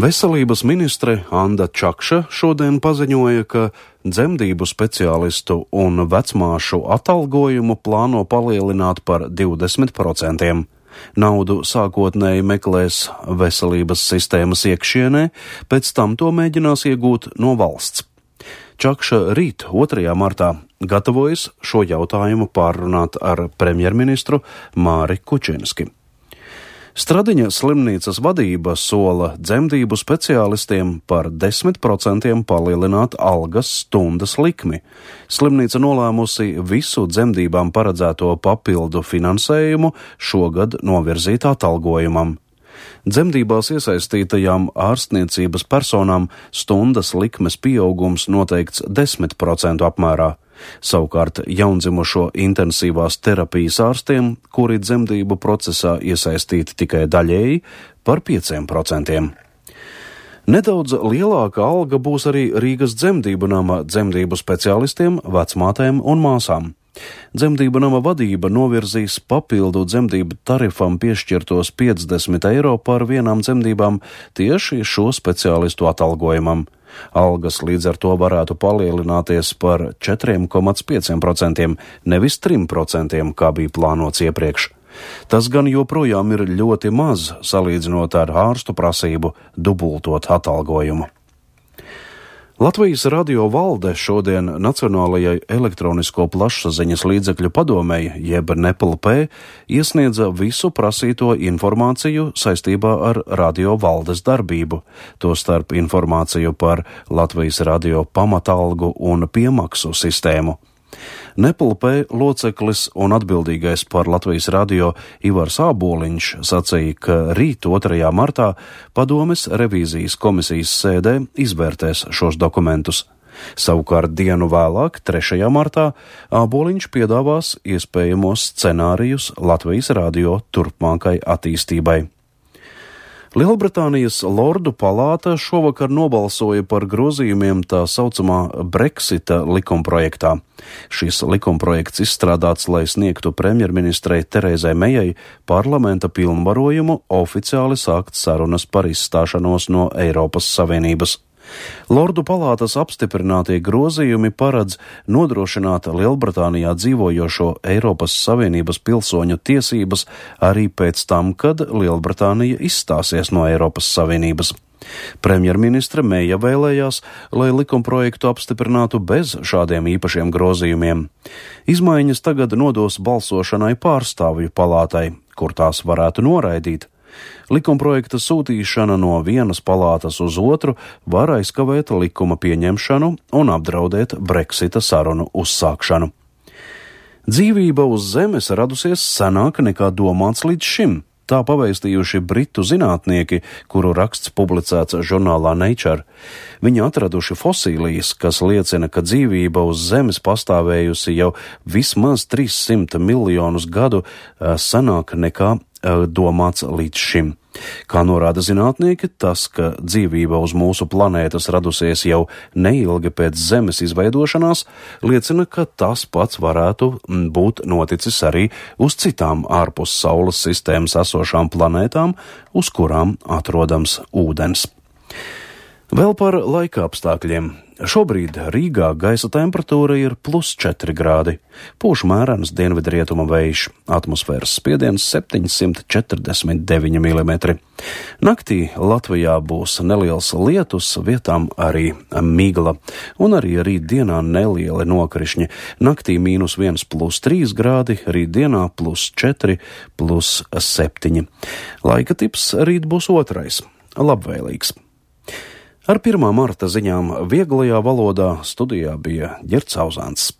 Veselības ministre Anda Čakša šodien paziņoja, ka dzemdību speciālistu un vecmāšu atalgojumu plāno palielināt par 20%. Naudu sākotnēji meklēs veselības sistēmas iekšienē, pēc tam to mēģinās iegūt no valsts. Čakša rīt 2. martā gatavojas šo jautājumu pārrunāt ar premjerministru Māri Kučinski. Stradiņa slimnīcas vadība sola dzemdību speciālistiem par 10% palielināt algas stundas likmi. Slimnīca nolēmusi visu dzemdībām paredzēto papildu finansējumu šogad novirzīt atalgojumam. Dzemdībās iesaistītajām ārstniecības personām stundas likmes pieaugums noteikts 10% apmērā. Savukārt jaundzimušo intensīvās terapijas ārstiem, kuri dzemdību procesā iesaistīti tikai daļēji, par 5%. Nedaudz lielāka alga būs arī Rīgas dzemdību nama dzemdību speciālistiem, vecmātēm un māsām. Dzemdību nama vadība novirzīs papildu dzemdību tarifam piešķirtos 50 eiro par vienām dzemdībām tieši šo speciālistu atalgojumam. Algas līdz ar to varētu palielināties par 4,5%, nevis 3%, kā bija plānots iepriekš. Tas gan joprojām ir ļoti maz, salīdzinot ar ārstu prasību dubultot atalgojumu. Latvijas radio valde šodien Nacionālajai elektronisko plašsaziņas līdzekļu padomei, jeb NEPLP, iesniedza visu prasīto informāciju saistībā ar radio valdes darbību, tostarp informāciju par Latvijas radio pamatalgu un piemaksu sistēmu. NEPLP loceklis un atbildīgais par Latvijas radio Ivars Āboliņš sacīja, ka rīt 2. martā padomes revīzijas komisijas sēdē izvērtēs šos dokumentus. Savukārt dienu vēlāk, 3. martā, Āboliņš piedāvās iespējamos scenārijus Latvijas radio turpmākai attīstībai. Lielbritānijas Lordu palāta šovakar nobalsoja par grozījumiem tā saucamā Brexita likumprojektā. Šis likumprojekts izstrādāts, lai sniegtu premjerministrei Terezai Mejai parlamenta pilnvarojumu oficiāli sākt sarunas par izstāšanos no Eiropas Savienības. Lordu palātas apstiprinātie grozījumi paredz nodrošināt Lielbritānijā dzīvojošo Eiropas Savienības pilsoņu tiesības arī pēc tam, kad Lielbritānija izstāsies no Eiropas Savienības. Premjerministre Meja vēlējās, lai likumprojektu apstiprinātu bez šādiem īpašiem grozījumiem. Izmaiņas tagad nodos balsošanai pārstāvju palātai, kur tās varētu noraidīt. Likumprojekta sūtīšana no vienas palātas uz otru var aizkavēt likuma pieņemšanu un apdraudēt Brexita sarunu uzsākšanu. Dzīvība uz Zemes radusies senāk nekā domāts līdz šim. Tā pavēstījuši britu zinātnieki, kuru raksts publicēts žurnālā Nature. Viņi atraduši fosīlijas, kas liecina, ka dzīvība uz Zemes pastāvējusi jau vismaz 300 miljonus gadu senāk nekā domāts līdz šim. Kā norāda zinātnieki, tas, ka dzīvība uz mūsu planētas radusies jau neilgi pēc Zemes izveidošanās, liecina, ka tas pats varētu būt noticis arī uz citām ārpus Saules sistēmas esošām planētām, uz kurām atrodams ūdens. Vēl par laika apstākļiem. Šobrīd Rīgā gaisa temperatūra ir +4 grādi. Pūš mērens dienvidrietuma vējš, atmosfēras spiediens 749 mm. Naktī Latvijā būs neliels lietus, vietām arī migla, un arī rītdienā nelieli nokrišņi. Naktī -1 +3 grādi, rītdienā +4, +7. Laika tips rīt būs otrais, labvēlīgs. Ar 1. marta ziņām vieglajā valodā studijā bija Ģerts Auzāns.